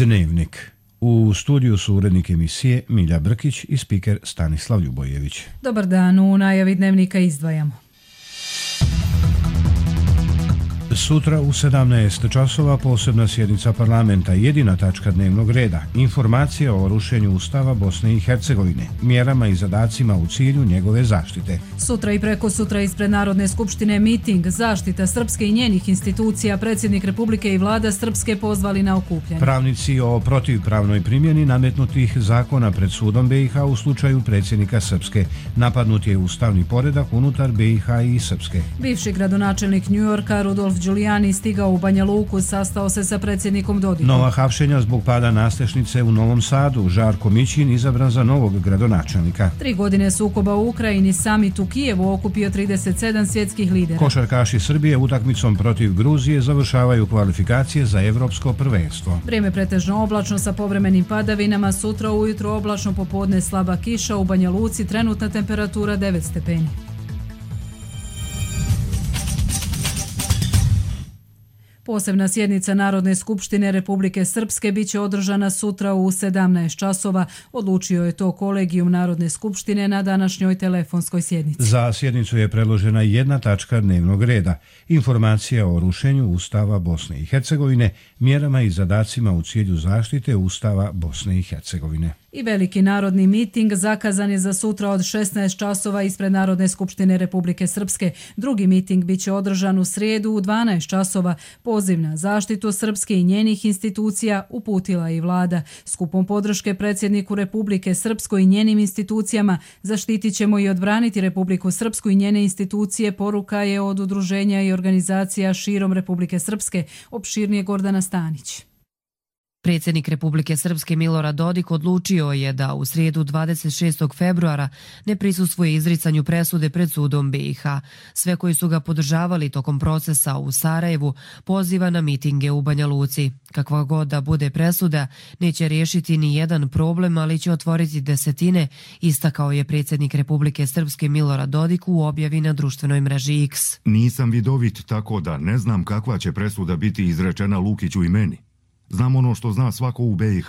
Dnevnik. U studiju su urednik emisije Milja Brkić i spiker Stanislav Ljubojević. Dobar dan, u najavi Dnevnika izdvajamo. Sutra u 17 časova posebna sjednica parlamenta, jedina tačka dnevnog reda, informacija o rušenju Ustava Bosne i Hercegovine, mjerama i zadacima u cilju njegove zaštite. Sutra i preko sutra ispred Narodne skupštine miting, zaštita Srpske i njenih institucija, predsjednik Republike i vlada Srpske pozvali na okupljanje. Pravnici o protivpravnoj primjeni nametnutih zakona pred sudom BiH u slučaju predsjednika Srpske. Napadnut je ustavni poredak unutar BiH i Srpske. Bivši gradonačelnik Njujorka Rudolf Giuliani stigao u Banja Luku, sastao se sa predsjednikom Dodikom. Nova hapšenja zbog pada nasljednice u Novom Sadu, Žarko Mićin izabran za novog gradonačelnika. 3 godine sukoba u Ukrajini, samit u Kijevu okupio 37 svjetskih lidera. Košarkaši Srbije utakmicom protiv Gruzije završavaju kvalifikacije za evropsko prvenstvo. Vrijeme pretežno oblačno sa povremenim padavinama, sutra ujutro oblačno, popodne slaba kiša, u Banja Luci trenutna temperatura 9 stepeni. Posebna sjednica Narodne skupštine Republike Srpske biće održana sutra u 17 časova. Odlučio je to kolegijum Narodne skupštine na današnjoj telefonskoj sjednici. Za sjednicu je predložena jedna tačka dnevnog reda. Informacija o rušenju Ustava Bosne i Hercegovine, mjerama i zadacima u cilju zaštite Ustava Bosne i Hercegovine. I veliki narodni miting zakazan je za sutra od 16 časova ispred Narodne skupštine Republike Srpske. Drugi miting biće održan u srijedu u 12 časova. Poziv na zaštitu Srpske i njenih institucija uputila i vlada. Skupom podrške predsjedniku Republike Srpskoj i njenim institucijama zaštitit ćemo i odbraniti Republiku Srpsku i njene institucije, poruka je od udruženja i organizacija širom Republike Srpske, opširnije Gordana Stanić. Predsjednik Republike Srpske Milorad Dodik odlučio je da u srijedu 26. februara ne prisustvuje izricanju presude pred sudom BiH. Sve koji su ga podržavali tokom procesa u Sarajevu poziva na mitinge u Banja Luci. Kakva god da bude presuda, neće riješiti ni jedan problem, ali će otvoriti desetine, istakao je predsjednik Republike Srpske Milorad Dodik u objavi na društvenoj mreži X. Nisam vidovit, tako da ne znam kakva će presuda biti izrečena Lukiću i meni. Znam ono što zna svako u BiH.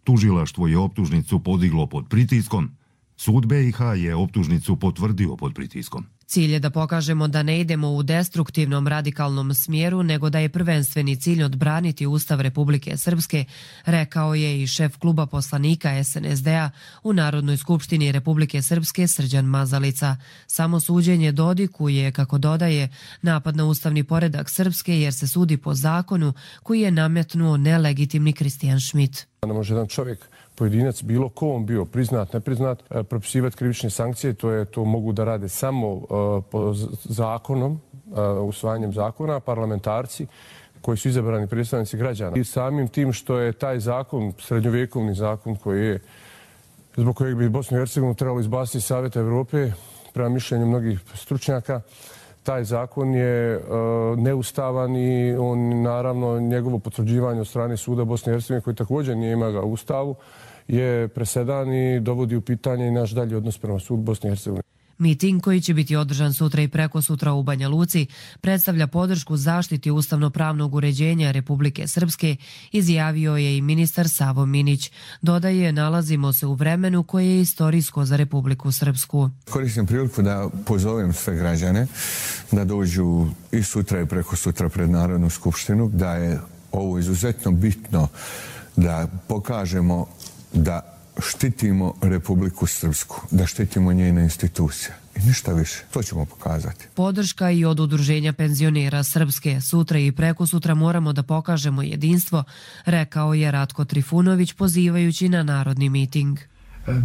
Tužilaštvo je optužnicu podiglo pod pritiskom. Sud BiH je optužnicu potvrdio pod pritiskom. Cilj je da pokažemo da ne idemo u destruktivnom radikalnom smjeru, nego da je prvenstveni cilj odbraniti Ustav Republike Srpske, rekao je i šef kluba poslanika SNSD-a u Narodnoj skupštini Republike Srpske Srđan Mazalica. Samo suđenje Dodiku je, kako dodaje, napad na ustavni poredak Srpske jer se sudi po zakonu koji je nametnuo nelegitimni Kristijan Šmit. Ne može jedan čovjek, pojedinac, bilo ko on bio, priznat, nepriznat, propisivati krivične sankcije, to mogu da rade samo po zakonom, usvajanjem zakona, parlamentarci koji su izabrani predstavnici građana. I samim tim što je taj zakon, srednjovjekovni zakon koji je, zbog kojeg bi Bosnu i Hercegovinu trebalo izbaciti iz Savjeta Evrope, prema mišljenju mnogih stručnjaka, taj zakon je neustavan i on, naravno, njegovo potvrđivanje od strane suda Bosne i Hercegovine, koji također nije ima ga u Ustavu, je presedan i dovodi u pitanje i naš dalji odnos prema sudu Bosne i Hercegovine. Miting koji će biti održan sutra i preko sutra u Banja Luci predstavlja podršku zaštiti ustavno-pravnog uređenja Republike Srpske, izjavio je i ministar Savo Minić. Dodaje, nalazimo se u vremenu koje je istorijsko za Republiku Srpsku. Koristim priliku da pozovem sve građane da dođu i sutra i preko sutra pred Narodnu skupštinu, da je ovo izuzetno bitno da pokažemo da štitimo Republiku Srpsku, da štitimo njene institucije. I ništa više. To ćemo pokazati. Podrška i od udruženja penzionera Srpske. Sutra i preko sutra moramo da pokažemo jedinstvo, rekao je Ratko Trifunović pozivajući na narodni miting.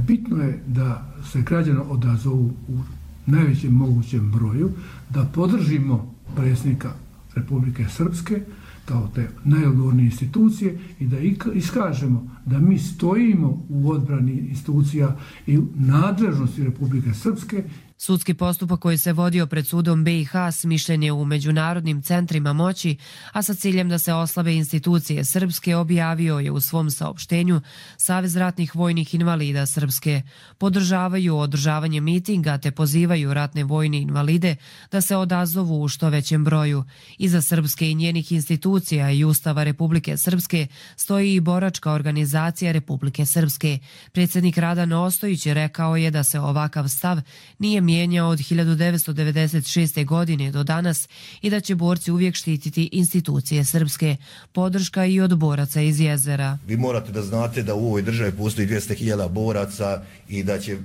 Bitno je da se građani odazovu u najvećem mogućem broju, da podržimo predsjednika Republike Srpske kao te najodgovornije institucije i da iskažemo da mi stojimo u odbrani institucija i nadležnosti Republike Srpske. Sudski postupak koji se vodio pred sudom BiH smišljen je u međunarodnim centrima moći, a sa ciljem da se oslabe institucije Srpske, objavio je u svom saopštenju Savez ratnih vojnih invalida Srpske. Podržavaju održavanje mitinga te pozivaju ratne vojne invalide da se odazovu u što većem broju. Iza Srpske i njenih institucija i Ustava Republike Srpske stoji i boračka organizacija Republike Srpske. Predsjednik Radan Ostojić rekao je da se ovakav stav nije mijenjao od 1996. godine do danas i da će borci uvijek štititi institucije Srpske. Podrška i od boraca iz Jezera. Vi morate da znate da u ovoj državi postoji 200.000 boraca i da će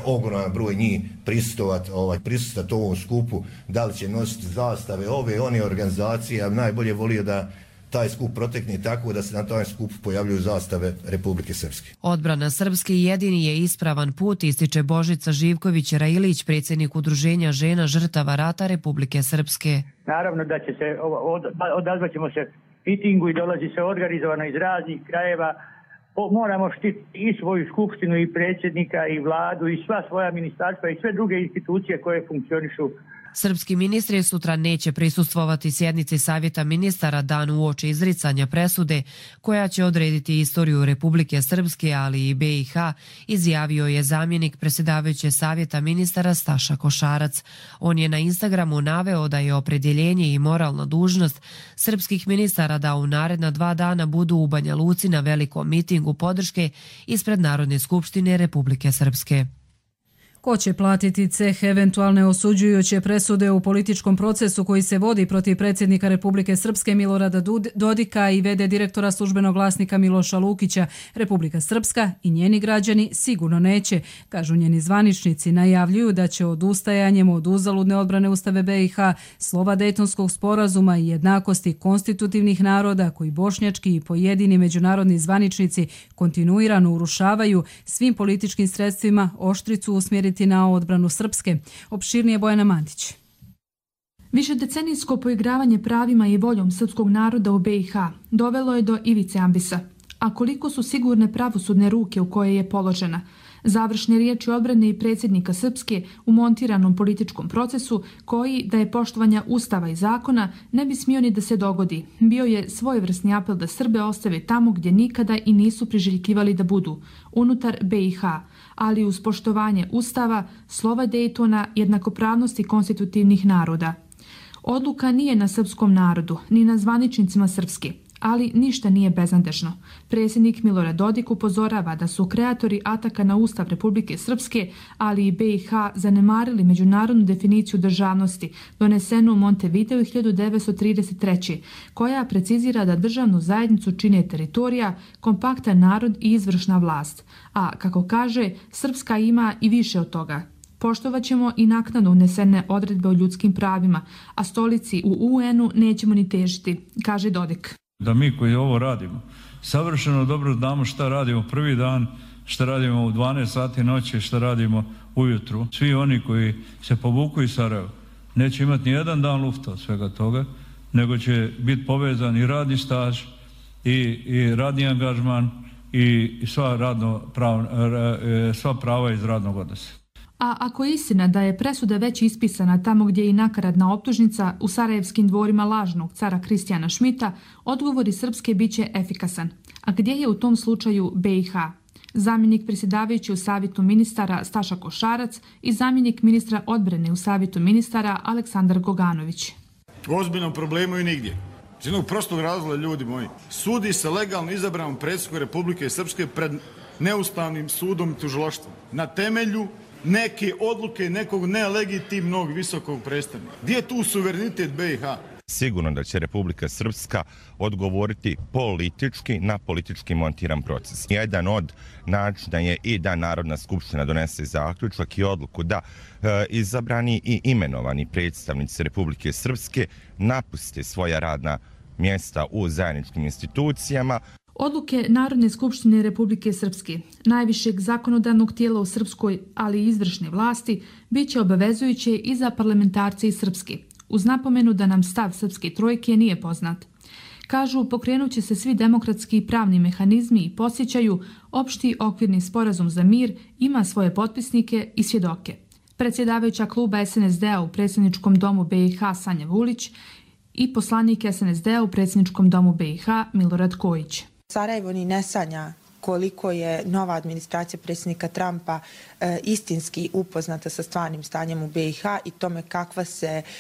ogroman broj njih prisustvovati ovom skupu. Da li će nositi zastave one organizacije, ja bi najbolje volio da taj skup protekne tako da se na taj skup pojavljuju zastave Republike Srpske. Odbrana Srpske jedini je ispravan put, ističe Božica Živković-Railić, predsjednik Udruženja žena žrtava rata Republike Srpske. Naravno da će se, odazvaćemo se mitingu i dolazi se organizovano iz raznih krajeva. Moramo štititi i svoju skupštinu i predsjednika i vladu i sva svoja ministarstva i sve druge institucije koje funkcionišu. Srpski ministri sutra neće prisustvovati sjednici Savjeta ministara dan uoči izricanja presude koja će odrediti istoriju Republike Srpske, ali i BiH, izjavio je zamjenik predsjedavajuće Savjeta ministara Staša Košarac. On je na Instagramu naveo da je opredjeljenje i moralna dužnost srpskih ministara da u naredna 2 dana budu u Banja Luci na velikom mitingu podrške ispred Narodne skupštine Republike Srpske. Ko će platiti ceh eventualne osuđujuće presude u političkom procesu koji se vodi protiv predsjednika Republike Srpske Milorada Dodika i v.d. direktora službenog glasnika Miloša Lukića? Republika Srpska i njeni građani sigurno neće, kažu njeni zvaničnici. Najavljuju da će odustajanjem od uzaludne odbrane Ustave BiH, slova Dejtonskog sporazuma i jednakosti konstitutivnih naroda koji bošnjački i pojedini međunarodni zvaničnici kontinuirano urušavaju, svim političkim sredstvima oštricu usmjeriti na odbranu Srpske. Opširnije Bojana Mandić. Višedecenijsko poigravanje pravima i voljom srpskog naroda u BiH dovelo je do ivice ambisa. A koliko su sigurne pravosudne ruke u koje je položena? Završne riječi odbrane i predsjednika Srpske u montiranom političkom procesu koji, da je poštovanja Ustava i zakona, ne bi smio ni da se dogodi. Bio je svojevrsni apel da Srbe ostave tamo gdje nikada i nisu priželjkivali da budu, unutar BiH, ali uz poštovanje Ustava, slova Dejtona, jednakopravnosti konstitutivnih naroda. Odluka nije na srpskom narodu, ni na zvaničnicima Srpske. Ali ništa nije beznadežno. Predsjednik Milorad Dodik upozorava da su kreatori ataka na Ustav Republike Srpske, ali i BiH, zanemarili međunarodnu definiciju državnosti donesenu u Montevideo 1933. koja precizira da državnu zajednicu čine teritorija, kompaktan narod i izvršna vlast. A, kako kaže, Srpska ima i više od toga. Poštovat ćemo i naknadno unesene odredbe o ljudskim pravima, a stolici u UN-u nećemo ni težiti, kaže Dodik. Da mi koji ovo radimo, savršeno dobro znamo šta radimo prvi dan, šta radimo u 12 sati noći, šta radimo ujutru. Svi oni koji se povuku iz Sarajeva neće imati ni jedan dan lufta od svega toga, nego će biti povezan i radni staž i radni angažman i sva prava iz radnog odnosa. A ako je istina da je presuda već ispisana tamo gdje je i nakaradna optužnica u sarajevskim dvorima lažnog cara Kristijana Šmita, odgovori Srpske bit će efikasan. A gdje je u tom slučaju BiH? Zamjenik predsjedavajući u Savjetu ministara Staša Košarac i zamjenik ministra odbrane u Savjetu ministara Aleksandar Goganović. U ozbiljnom problemu i nigdje. Iz jednog prostog razloga, ljudi moji, sudi se legalno izabranom predsjedniku Republike Srpske pred neustavnim sudom i tužilaštvom na temelju neke odluke nekog nelegitimnog visokog predstavnika. Gdje je tu suverenitet BiH? Sigurno da će Republika Srpska odgovoriti politički na politički montiran proces. Jedan od načina je i da Narodna skupština donese zaključak i odluku da izabrani i imenovani predstavnici Republike Srpske napuste svoja radna mjesta u zajedničkim institucijama. Odluke Narodne skupštine Republike Srpske, najvišeg zakonodavnog tijela u Srpskoj, ali i izvršne vlasti, bit će obavezujuće i za parlamentarce iz Srpske, uz napomenu da nam stav Srpske trojke nije poznat. Kažu, pokrenut će se svi demokratski i pravni mehanizmi i podsjećaju, opšti okvirni sporazum za mir ima svoje potpisnike i svjedoke. predsjedavajuća kluba SNSD-a u predsjedničkom domu BiH Sanja Vulić i poslanik SNSD-a u predsjedničkom domu BiH Milorad Kojić. Sarajevo ni ne sanja koliko je nova administracija predsjednika Trumpa istinski upoznata sa stvarnim stanjem u BiH i tome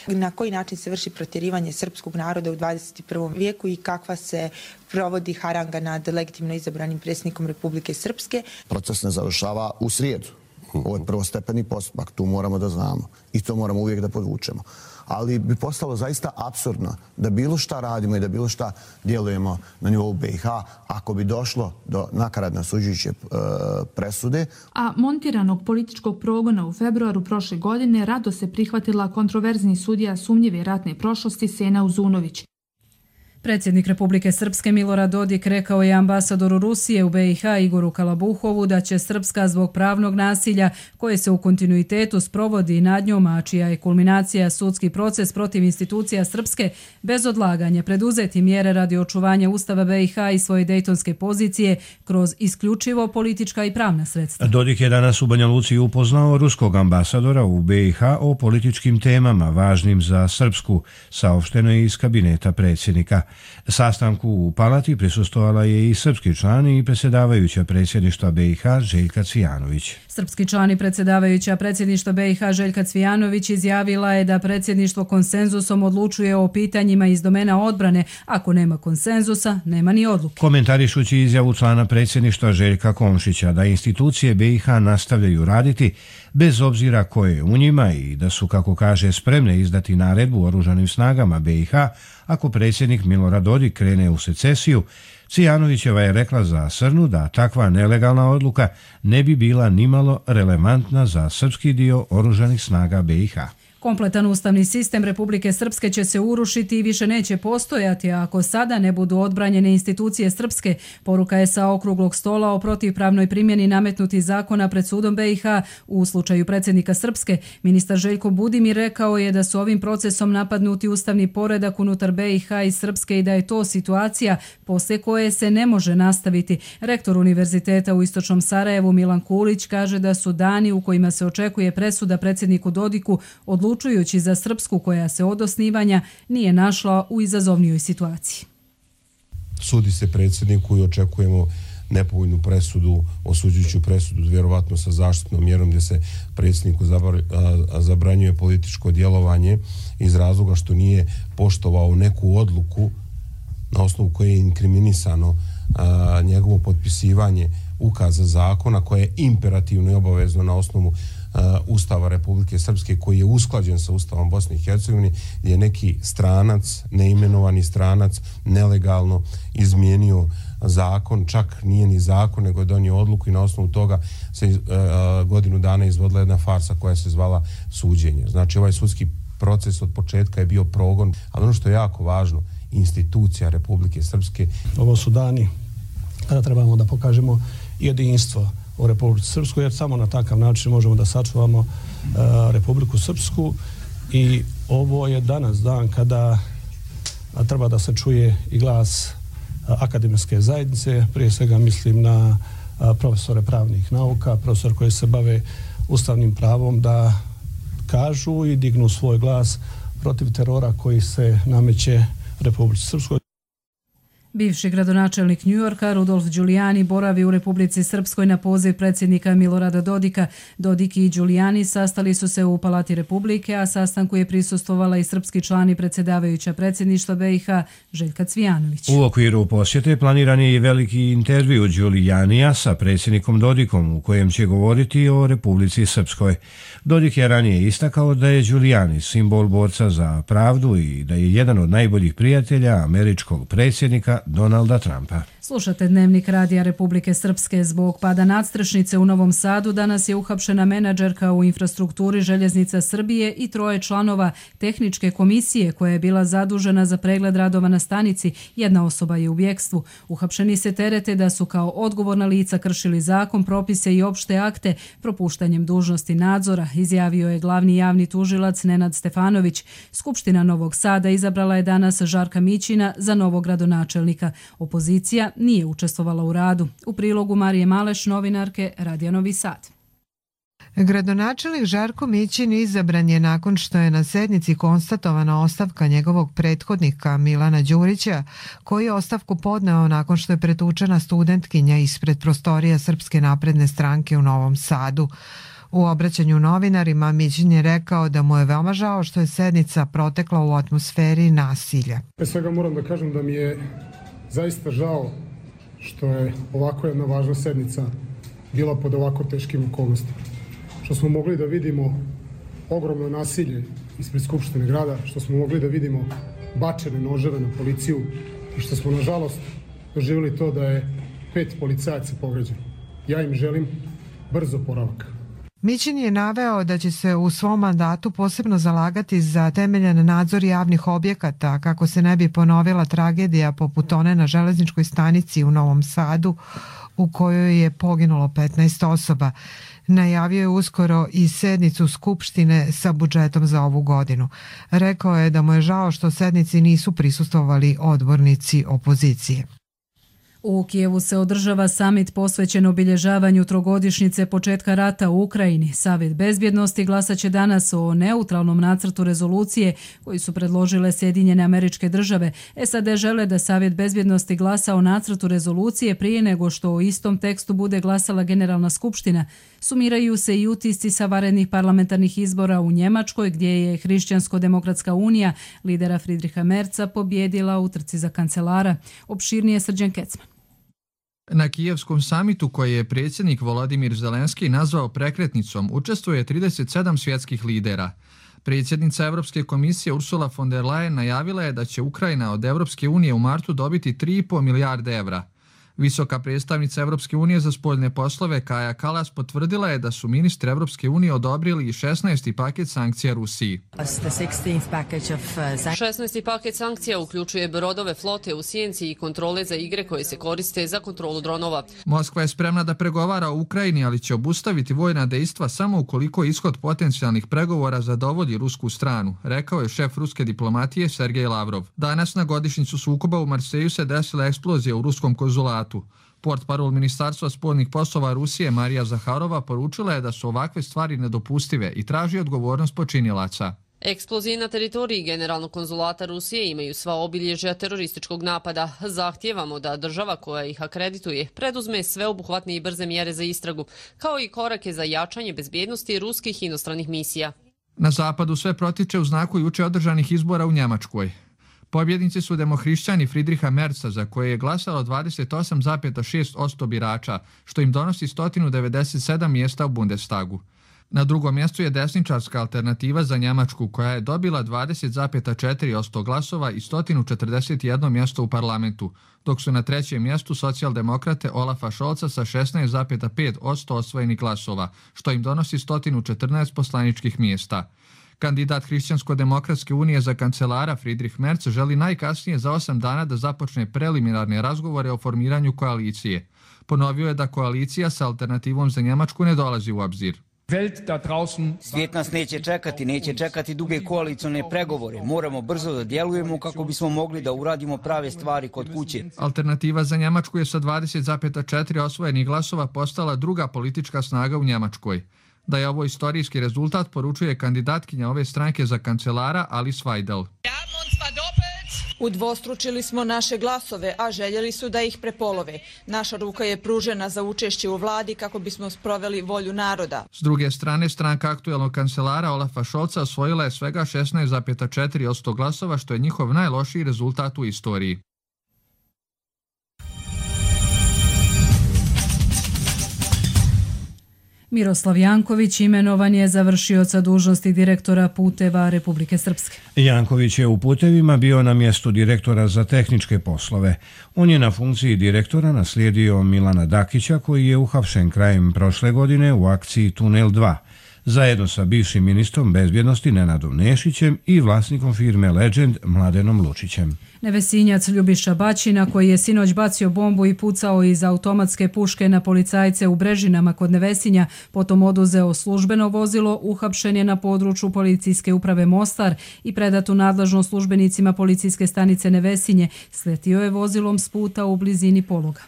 na koji način se vrši protjerivanje srpskog naroda u 21. vijeku i kakva se provodi haranga nad legitimno izabranim predsjednikom Republike Srpske. Proces ne završava u srijedu. Ovo je prvostepeni postupak, tu moramo da znamo i to moramo uvijek da podvučemo. Ali bi postalo zaista apsurdno da bilo šta radimo i da bilo šta djelujemo na nivou BiH ako bi došlo do nakaradne osuđujuće presude. A montiranog političkog progona u februaru prošle godine rado se prihvatila kontroverzni sudija sumnjive ratne prošlosti Sena Uzunović. Predsjednik Republike Srpske Milorad Dodik rekao je ambasadoru Rusije u BiH Igoru Kalabuhovu da će Srpska zbog pravnog nasilja koje se u kontinuitetu sprovodi nad njom, a čija je kulminacija sudski proces protiv institucija Srpske, bez odlaganja preduzeti mjere radi očuvanja Ustava BiH i svoje dejtonske pozicije kroz isključivo politička i pravna sredstva. Dodik je danas u Banja Luci upoznao ruskog ambasadora u BiH o političkim temama važnim za Srpsku, saopšteno je iz kabineta predsjednika. Sastanku u Palati prisustvovala je i srpski član i predsjedavajuća predsjedništva BiH Željka Cvijanović. Srpski član i predsjedavajuća predsjedništva BiH Željka Cvijanović izjavila je da predsjedništvo konsenzusom odlučuje o pitanjima iz domena odbrane. Ako nema konsenzusa, nema ni odluke. Komentarišući izjavu člana predsjedništva Željka Komšića da institucije BiH nastavljaju raditi bez obzira ko je u njima i da su, kako kaže, spremne izdati naredbu oružanim snagama BiH ako predsjednik Milorad Dodik krene u secesiju, Cvijanovićeva je rekla za Srnu da takva nelegalna odluka ne bi bila nimalo relevantna za srpski dio oružanih snaga BiH. Kompletan ustavni sistem Republike Srpske će se urušiti i više neće postojati ako sada ne budu odbranjene institucije Srpske, poruka je sa okruglog stola o protivpravnoj primjeni nametnutih zakona pred sudom BiH u slučaju predsjednika Srpske. Ministar Željko Budimir rekao je da su ovim procesom napadnuti ustavni poredak unutar BiH i Srpske i da je to situacija poslije koje se ne može nastaviti. Rektor Univerziteta u Istočnom Sarajevu Milan Kulić kaže da su dani u kojima se očekuje presuda predsjedniku Dodiku odlučujući za Srpsku koja se od osnivanja nije našla u izazovnijoj situaciji. Sudi se predsjedniku i očekujemo nepovoljnu presudu, osuđujuću presudu, vjerovatno sa zaštitnom mjerom gdje se predsjedniku zabranjuje političko djelovanje iz razloga što nije poštovao neku odluku na osnovu koje je inkriminisano njegovo potpisivanje ukaza zakona koje je imperativno i obavezno na osnovu Ustava Republike Srpske koji je usklađen sa Ustavom Bosne i Hercegovine, gdje je neki stranac, neimenovani stranac, nelegalno izmijenio zakon, čak nije ni zakon, nego je donio odluku i na osnovu toga se godinu dana izvodila jedna farsa koja se zvala suđenje. Znači ovaj sudski proces od početka je bio progon, ali ono što je jako važno, institucija Republike Srpske. Ovo su dani kada trebamo da pokažemo jedinstvo u Republici Srpskoj, jer samo na takav način možemo da sačuvamo Republiku Srpsku i ovo je danas dan kada treba da se čuje i glas akademske zajednice, prije svega mislim na profesore pravnih nauka, profesore koji se bave ustavnim pravom, da kažu i dignu svoj glas protiv terora koji se nameće Republici Srpskoj. Bivši gradonačelnik Njujorka Rudolf Giuliani boravi u Republici Srpskoj na poziv predsjednika Milorada Dodika. Dodik i Giuliani sastali su se u Palati Republike, a sastanku je prisustvovala i srpski član i predsjedavajuća predsjedništva BiH Željka Cvijanović. U okviru posjete planiran je i veliki intervju Giulianija sa predsjednikom Dodikom u kojem će govoriti o Republici Srpskoj. Dodik je ranije istakao da je Giuliani simbol borca za pravdu i da je jedan od najboljih prijatelja američkog predsjednika Donalda Trumpa. Slušate Dnevnik Radija Republike Srpske. Zbog pada nadstrešnice u Novom Sadu danas je uhapšena menadžerka u infrastrukturi Željeznica Srbije i 3 članova tehničke komisije koja je bila zadužena za pregled radova na stanici. Jedna osoba je u bjekstvu. Uhapšeni se terete da su kao odgovorna lica kršili zakon, propise i opšte akte propuštanjem dužnosti nadzora, izjavio je glavni javni tužilac Nenad Stefanović. Skupština Novog Sada izabrala je danas Žarka Mićina za novog gradonačelnika. Opozicija nije učestvovala u radu. U prilogu Marije Maleš, novinarke Radija Novi Sad. Gradonačelnik Žarko Mićin izabran je nakon što je na sednici konstatovana ostavka njegovog prethodnika Milana Đurića, koji je ostavku podneo nakon što je pretučena studentkinja ispred prostorija Srpske napredne stranke u Novom Sadu. U obraćanju novinarima Mićin je rekao da mu je veoma žao što je sednica protekla u atmosferi nasilja. Pre svega moram da kažem da mi je zaista žao što je ovako jedna važna sednica bila pod ovako teškim okolnostima. Što smo mogli da vidimo ogromno nasilje ispred Skupštine grada, što smo mogli da vidimo bačene noževe na policiju i što smo nažalost doživjeli to da je 5 policajaca povređeno. Ja im želim brzo oporavak. Mićin je naveo da će se u svom mandatu posebno zalagati za temeljan nadzor javnih objekata kako se ne bi ponovila tragedija poput one na železničkoj stanici u Novom Sadu u kojoj je poginulo 15 osoba. Najavio je uskoro i sednicu Skupštine sa budžetom za ovu godinu. Rekao je da mu je žao što sednici nisu prisustvovali odbornici opozicije. U Kijevu se održava samit posvećen obilježavanju trogodišnjice početka rata u Ukrajini. Savjet bezbjednosti glasat će danas o neutralnom nacrtu rezolucije koji su predložile Sjedinjene Američke Države. SAD žele da Savjet bezbjednosti glasa o nacrtu rezolucije prije nego što o istom tekstu bude glasala Generalna skupština. Sumiraju se i utisci sa vanrednih parlamentarnih izbora u Njemačkoj, gdje je Hrišćansko-demokratska unija lidera Friedricha Merza pobjedila u trci za kancelara. Opširnije Srđan Kecman. Na kijevskom samitu koji je predsjednik Volodimir Zelenski nazvao prekretnicom učestvuje 37 svjetskih lidera. Predsjednica Europske komisije Ursula von der Leyen najavila je da će Ukrajina od Europske unije u martu dobiti 3,5 milijarde evra. Visoka predstavnica Europske unije za spoljne poslove Kaja Kallas potvrdila je da su ministri Europske unije odobrili 16. paket sankcija Rusiji. 16. paket sankcija uključuje brodove flote u sjenci i kontrole za igre koje se koriste za kontrolu dronova. Moskva je spremna da pregovara o Ukrajini, ali će obustaviti vojna dejstva samo ukoliko ishod potencijalnih pregovora zadovolji rusku stranu, rekao je šef ruske diplomatije Sergej Lavrov. Danas na godišnjicu sukoba u Marseju se desila eksplozija u ruskom konzulatu. Portparol Ministarstva spoljnih poslova Rusije Marija Zaharova poručila je da su ovakve stvari nedopustive i traži odgovornost počinilaca. Eksplozije na teritoriji Generalnog konzulata Rusije imaju sva obilježja terorističkog napada. Zahtijevamo da država koja ih akredituje preduzme sveobuhvatne i brze mjere za istragu, kao i korake za jačanje bezbjednosti ruskih inostranih misija. Na zapadu sve protiče u znaku juče održanih izbora u Njemačkoj. Pobjednici su demohrišćani Friedricha Merza, za koje je glasalo 28,6% birača, što im donosi 197 mjesta u Bundestagu. Na drugom mjestu je desničarska alternativa za Njemačku, koja je dobila 20,4% glasova i 141 mjesto u parlamentu, dok su na trećem mjestu socijaldemokrate Olafa Scholza sa 16,5% osvojenih glasova, što im donosi 114 poslaničkih mjesta. Kandidat Hrišćansko-demokratske unije za kancelara Friedrich Merz želi najkasnije za 8 dana da započne preliminarne razgovore o formiranju koalicije. Ponovio je da koalicija sa alternativom za Njemačku ne dolazi u obzir. Svijet nas neće čekati duge koalicijone pregovore. Moramo brzo da djelujemo kako bismo mogli da uradimo prave stvari kod kuće. Alternativa za Njemačku je sa 20,4 osvojenih glasova postala druga politička snaga u Njemačkoj. Da je ovo istorijski rezultat poručuje kandidatkinja ove stranke za kancelara Alice Weidel. Udvostručili smo naše glasove, a željeli su da ih prepolove. Naša ruka je pružena za učešće u vladi kako bismo sproveli volju naroda. S druge strane, stranka aktuelnog kancelara Olafa Scholza osvojila je svega 16,4% glasova, što je njihov najlošiji rezultat u istoriji. Miroslav Janković imenovan je za vršioca dužnosti direktora puteva Republike Srpske. Janković je u putevima bio na mjestu direktora za tehničke poslove. On je na funkciji direktora naslijedio Milana Dakića, koji je uhapšen krajem prošle godine u akciji Tunel 2, zajedno sa bivšim ministrom bezbjednosti Nenadom Nešićem i vlasnikom firme Legend Mladenom Lučićem. Nevesinjac Ljubiša Baćina, koji je sinoć bacio bombu i pucao iz automatske puške na policajce u Brežinama kod Nevesinja, potom oduzeo službeno vozilo, uhapšen je na području policijske uprave Mostar i predat u nadležnost službenicima policijske stanice Nevesinje. Sletio je vozilom s puta u blizini pologa.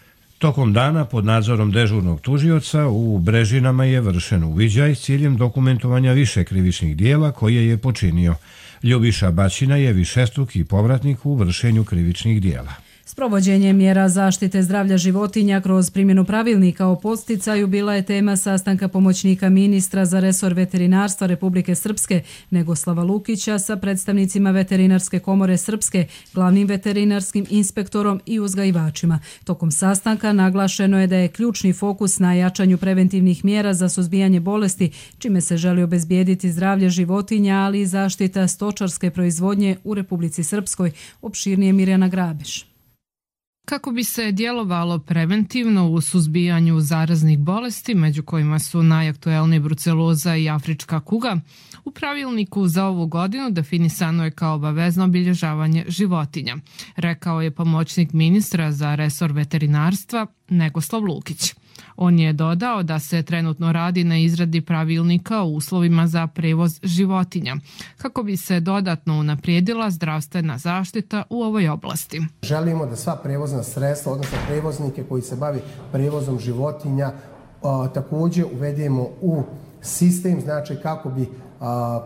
Tokom dana pod nadzorom dežurnog tužioca u Brežinama je vršen uviđaj s ciljem dokumentovanja više krivičnih dijela koje je počinio. Ljubiša Baćina je višestruki povratnik u vršenju krivičnih dijela. Sprovođenje mjera zaštite zdravlja životinja kroz primjenu pravilnika o podsticaju bila je tema sastanka pomoćnika ministra za resor veterinarstva Republike Srpske Negoslava Lukića sa predstavnicima Veterinarske komore Srpske, glavnim veterinarskim inspektorom i uzgajivačima. Tokom sastanka naglašeno je da je ključni fokus na jačanju preventivnih mjera za suzbijanje bolesti, čime se želi obezbijediti zdravlje životinja, ali i zaštita stočarske proizvodnje u Republici Srpskoj, opširnije Mirjana Grabeš. Kako bi se djelovalo preventivno u suzbijanju zaraznih bolesti, među kojima su najaktuelniji bruceloza i afrička kuga, u pravilniku za ovu godinu definisano je kao obavezno obilježavanje životinja, rekao je pomoćnik ministra za resor veterinarstva Negoslav Lukić. On je dodao da se trenutno radi na izradi pravilnika o uslovima za prevoz životinja, kako bi se dodatno unaprijedila zdravstvena zaštita u ovoj oblasti. Želimo da sva prevozna sredstva, odnosno prevoznike koji se bavi prevozom životinja, također uvedemo u sistem, znači kako bi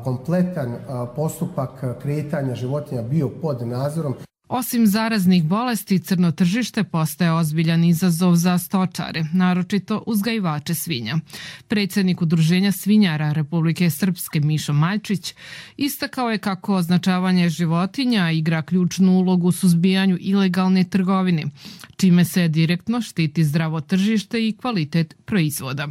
kompletan postupak kretanja životinja bio pod nadzorom. Osim zaraznih bolesti, crno tržište postaje ozbiljan izazov za stočare, naročito uzgajivače svinja. Predsjednik Udruženja svinjara Republike Srpske Mišo Majčić istakao je kako označavanje životinja igra ključnu ulogu u suzbijanju ilegalne trgovine, čime se direktno štiti zdravo tržište i kvalitet proizvoda.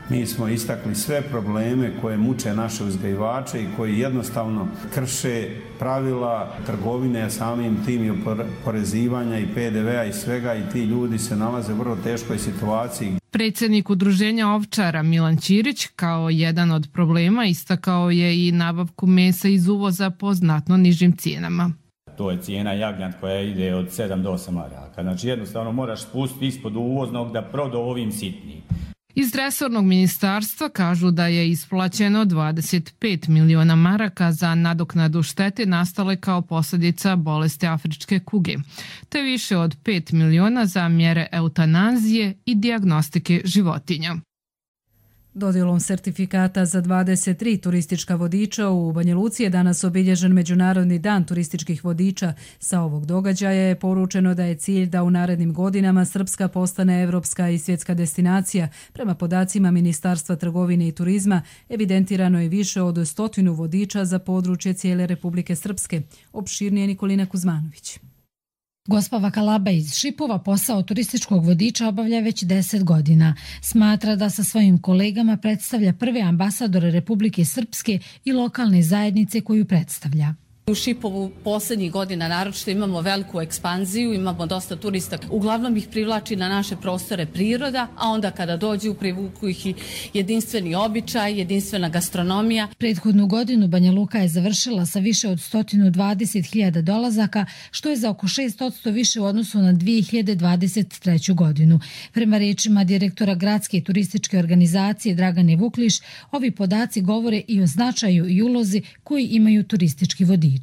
Mi smo istakli sve probleme koje muče naše uzgajivače i koji jednostavno krše pravila trgovine, a samim tim i oporezivanja i PDV-a i svega, i ti ljudi se nalaze u vrlo teškoj situaciji. Predsjednik Udruženja ovčara Milan Ćirić kao jedan od problema istakao je i nabavku mesa iz uvoza po znatno nižim cijenama. To je cijena jagnjad koja ide od 7 do 8 maraka. Znači jednostavno moraš spustiti ispod uvoznog da prodao ovim sitnijim. Iz resornog ministarstva kažu da je isplaćeno 25 miliona maraka za nadoknadu štete nastale kao posljedica bolesti afričke kuge, te više od 5 miliona za mjere eutanazije i dijagnostike životinja. Dodjelom sertifikata za 23 turistička vodiča u Banja Luci je danas obilježen Međunarodni dan turističkih vodiča. Sa ovog događaja je poručeno da je cilj da u narednim godinama Srpska postane evropska i svjetska destinacija. Prema podacima Ministarstva trgovine i turizma evidentirano je više od 100 vodiča za područje cijele Republike Srpske. Opširnije Nikolina Kuzmanović. Gospa Vakalaba iz Šipova posao turističkog vodiča obavlja već 10 godina. Smatra da sa svojim kolegama predstavlja prve ambasadore Republike Srpske i lokalne zajednice koju predstavlja. U Šipovu posljednjih godina naročito imamo veliku ekspanziju, imamo dosta turista. Uglavnom ih privlači na naše prostore priroda, a onda kada dođu privuku ih i jedinstveni običaj, jedinstvena gastronomija. Prethodnu godinu Banja Luka je završila sa više od 120.000 dolazaka, što je za oko 6% više u odnosu na 2023. godinu. Prema rečima direktora gradske turističke organizacije Dragane Vukliš, ovi podaci govore i o značaju i ulozi koji imaju turistički vodiči.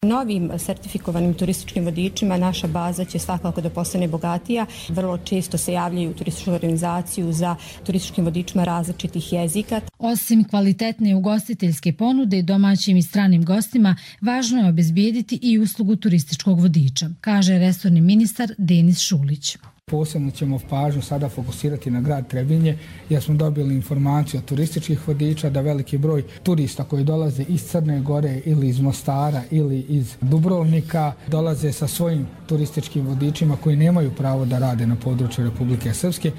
Novim sertifikovanim turističkim vodičima naša baza će svakako da postane bogatija. Vrlo često se javljaju u turističku organizaciju za turističkim vodičima različitih jezika. Osim kvalitetne ugostiteljske ponude domaćim i stranim gostima, važno je obezbijediti i uslugu turističkog vodiča, kaže resorni ministar Denis Šulić. Posebno ćemo pažnju sada fokusirati na grad Trebinje, jer smo dobili informaciju od turističkih vodiča da veliki broj turista koji dolaze iz Crne Gore ili iz Mostara ili iz Dubrovnika dolaze sa svojim turističkim vodičima koji nemaju pravo da rade na području Republike Srpske.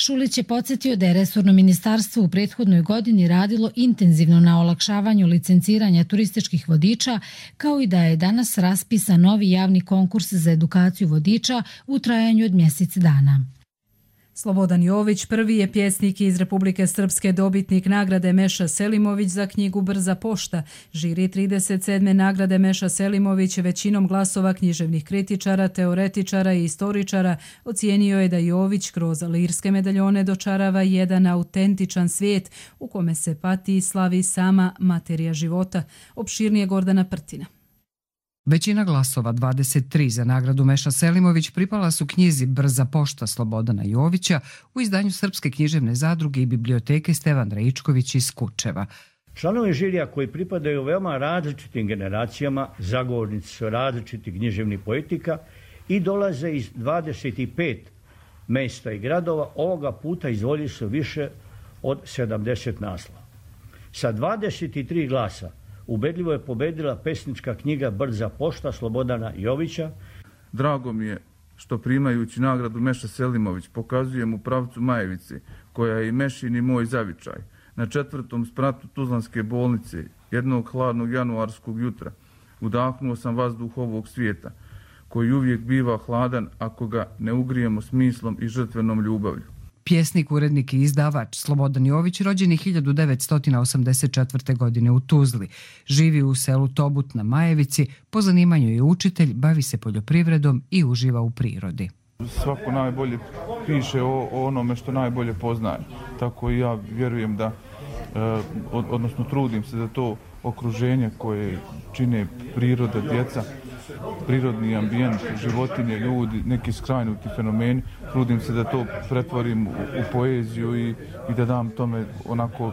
Šulić je podsjetio da je resorno ministarstvo u prethodnoj godini radilo intenzivno na olakšavanju licenciranja turističkih vodiča, kao i da je danas raspisan novi javni konkurs za edukaciju vodiča u trajanju od mjesec dana. Slobodan Jović prvi je pjesnik iz Republike Srpske, dobitnik nagrade Meša Selimović za knjigu Brza pošta. Žiri 37. nagrade Meša Selimović većinom glasova književnih kritičara, teoretičara i istoričara ocijenio je da Jović kroz lirske medaljone dočarava jedan autentičan svijet u kome se pati i slavi sama materija života. Opširnije Gordana Prtina. Većina glasova, 23 za nagradu Meša Selimović, pripala su knjizi Brza pošta Slobodana Jovića u izdanju Srpske književne zadruge i biblioteke Stevan Rajičković iz Kučeva. Članovi žirija koji pripadaju veoma različitim generacijama, zagovornici su različitih književnih poetika i dolaze iz 25 mesta i gradova, ovoga puta izdvojili su više od 70 naslova. Sa 23 glasa ubedljivo je pobedila pesnička knjiga Brza pošta Slobodana Jovića. Drago mi je što primajući nagradu Meša Selimović pokazujem u pravcu Majevice, koja je i Mešin i moj zavičaj. Na 4. spratu Tuzlanske bolnice, jednog hladnog januarskog jutra, udahnuo sam vazduh ovog svijeta, koji uvijek biva hladan ako ga ne ugrijemo smislom i žrtvenom ljubavlju. Pjesnik, urednik i izdavač Slobodan Jović rođen je 1984. godine u Tuzli. Živi u selu Tobut na Majevici, po zanimanju je učitelj, bavi se poljoprivredom i uživa u prirodi. Svako najbolje piše o onome što najbolje poznaje. Tako i ja vjerujem da, odnosno trudim se da to okruženje koje čine priroda, djeca, prirodni ambijent, životinje, ljudi, neki skrajnuti fenomeni, trudim se da to pretvorim u poeziju i da dam tome onako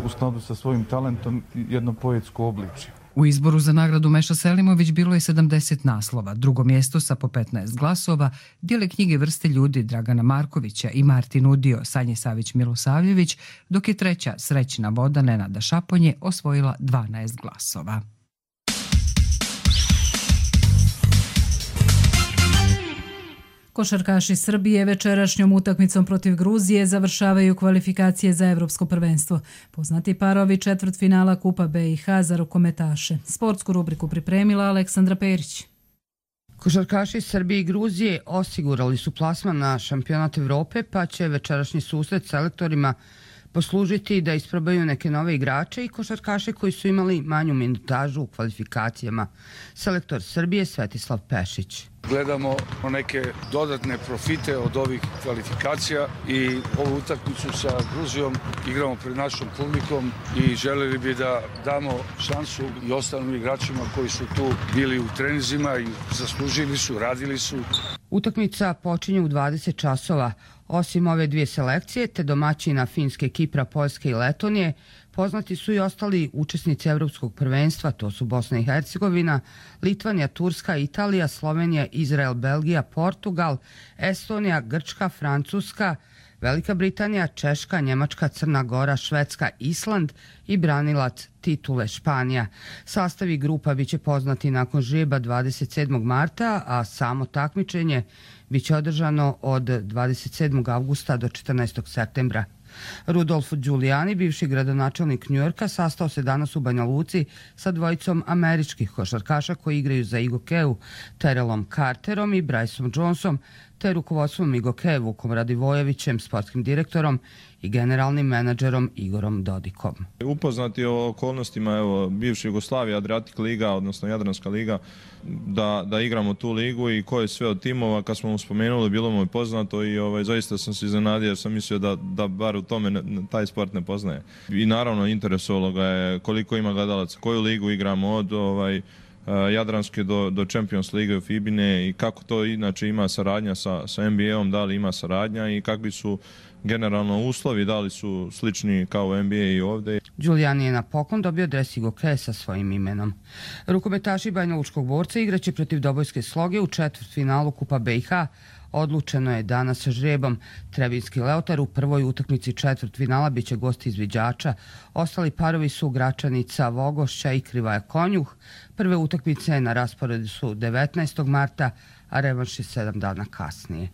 u skladu sa svojim talentom jedno poetsko obličje. U izboru za nagradu Meša Selimović bilo je 70 naslova. Drugo mjesto sa po 15 glasova dijele knjige Vrste ljudi Dragana Markovića i Martin Udio, Sanje Savić-Milosavljević, dok je treća Srećna voda Nenada Šaponje osvojila 12 glasova. Košarkaši Srbije večerašnjom utakmicom protiv Gruzije završavaju kvalifikacije za Evropsko prvenstvo. Poznati parovi četvrtfinala Kupa BiH za rukometaše. Sportsku rubriku pripremila Aleksandra Perić. Košarkaši Srbije i Gruzije osigurali su plasman na šampionat Evrope, pa će večerašnji susret selektorima poslužiti da isprobaju neke nove igrače i košarkaše koji su imali manju minutažu u kvalifikacijama. Selektor Srbije Svetislav Pešić. Gledamo neke dodatne profite od ovih kvalifikacija i ovu utakmicu sa Gruzijom igramo pred našom publikom i želeli bi da damo šansu i ostalim igračima koji su tu bili u treninzima i zaslužili su, radili su. Utakmica počinje u 20 časova. Osim ove dvije selekcije, te domaćina Finske, Kipra, Poljske i Letonije, poznati su i ostali učesnici Evropskog prvenstva, to su Bosna i Hercegovina, Litvanija, Turska, Italija, Slovenija, Izrael, Belgija, Portugal, Estonija, Grčka, Francuska, Velika Britanija, Češka, Njemačka, Crna Gora, Švedska, Island i branilac titule Španija. Sastavi grupa biće poznati nakon žreba 27. marta, a samo takmičenje biće održano od 27. avgusta do 14. septembra. Rudolf Giuliani, bivši gradonačelnik Njujorka, sastao se danas u Banja Luci sa dvojicom američkih košarkaša koji igraju za Igokeu, Terelom Carterom i Bryceom Jonesom, te rukovodstvom Igoke Vukom Radivojevićem, sportskim direktorom i generalnim menadžerom Igorom Dodikom. Upoznati o okolnostima bivše Jugoslavije, Adriatic Liga, odnosno Jadranska liga, da igramo tu ligu i ko je sve od timova, kad smo mu spomenuli, bilo mu je poznato i zaista sam se iznenadio jer sam mislio da bar u tome taj sport ne poznaje. I naravno interesovalo ga je koliko ima gledalaca, koju ligu igramo od Jadranske do Champions Lige u Fibine i kako to inače ima saradnja sa NBA-om, da li ima saradnja i kakvi su generalno uslovi, da li su slični kao NBA i ovdje. Giuliani je na poklon dobio dres Igoke sa svojim imenom. Rukometaši Banja Lučkog Borca igraće protiv Dobojske Sloge u četvrtfinalu Kupa BiH. Odlučeno je danas sa žrebom. Trebinski Leotar u prvoj utakmici četvrtfinala biće gost izviđača. Ostali parovi su Gračanica, Vogošća i Krivaja Konjuh. Prve utakmice na rasporedu su 19. marta, a revanš je 7 dana kasnije.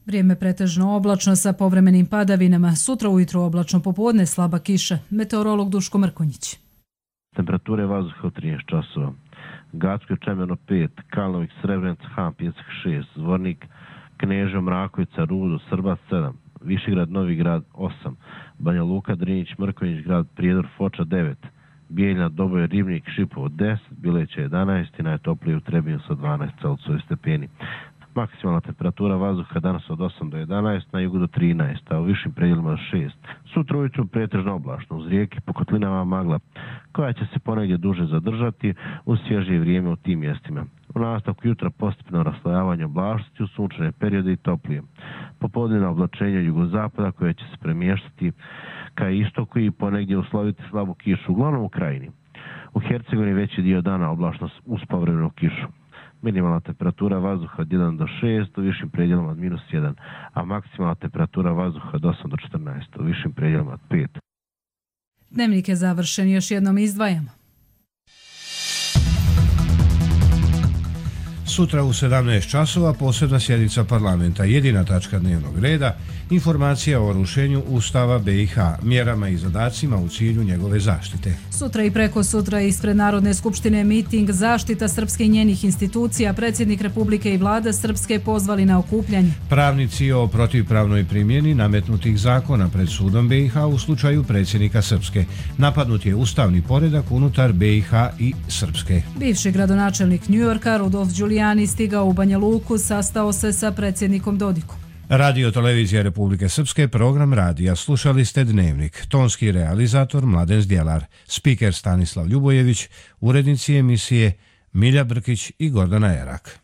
Vrijeme pretežno oblačno sa povremenim padavinama. Sutra ujutro oblačno, popodne slaba kiša. Meteorolog Duško Mrkonjić. Temperature vazduha u 13 časova. Gacko Čemeno 5, Kalnovik, Srebrenica, Han, Pjesak 6, Zvornik, Knežo, Mrakovica, Rudo, Srbac 7, Višegrad, Novi Grad 8, Banja Luka, Drinić, Mrkonjić, Grad Prijedor, Foča 9, Bijeljna, Doboj, Ribnik, Šipovo 10, Bileće 11 i najtoplije u Trebinju sa 12 Celsiusovih stepeni. Maksimalna temperatura vazduha danas od 8 do 11, na jugu do 13, a u višim predjelima do 6. Sutra ujutru pretežno oblačno, uz rijeke po kotlinama magla, koja će se ponegdje duže zadržati uz svježije vrijeme u tim mjestima. U nastavku jutra postepeno raslojavanje oblačnosti u sunčane periode i toplije. Popodnevno oblačenje jugozapada koje će se premještati ka istoku i ponegdje usloviti slabu kišu, uglavnom u krajini. U Hercegovini veći dio dana oblačnost uz povremenu kišu. Minimalna temperatura vazduha od 1 do 6, u višim predjelima od -1, a maksimalna temperatura vazduha od 8 do 14, u višim predjelima od 5. Dnevnik je završen, još jednom izdvajamo. Sutra u 17 časova posebna sjednica parlamenta, jedina tačka dnevnog reda, informacija o rušenju Ustava BiH, mjerama i zadacima u cilju njegove zaštite. Sutra i preko sutra ispred Narodne skupštine miting zaštita Srpske i njenih institucija, predsjednik Republike i vlada Srpske pozvali na okupljanje. Pravnici o protivpravnoj primjeni nametnutih zakona pred sudom BiH u slučaju predsjednika Srpske. Napadnut je ustavni poredak unutar BiH i Srpske. Bivši gradonačelnik Njujorka Rudolf Giuliani stigao u Banja Luku, sastao se sa predsjednikom Dodikom. Radio Televizija Republike Srpske, program radija. Slušali ste Dnevnik. Tonski realizator Mladen Zdjelar, spiker Stanislav Ljubojević, urednici emisije Milja Brkić i Gordana Erak.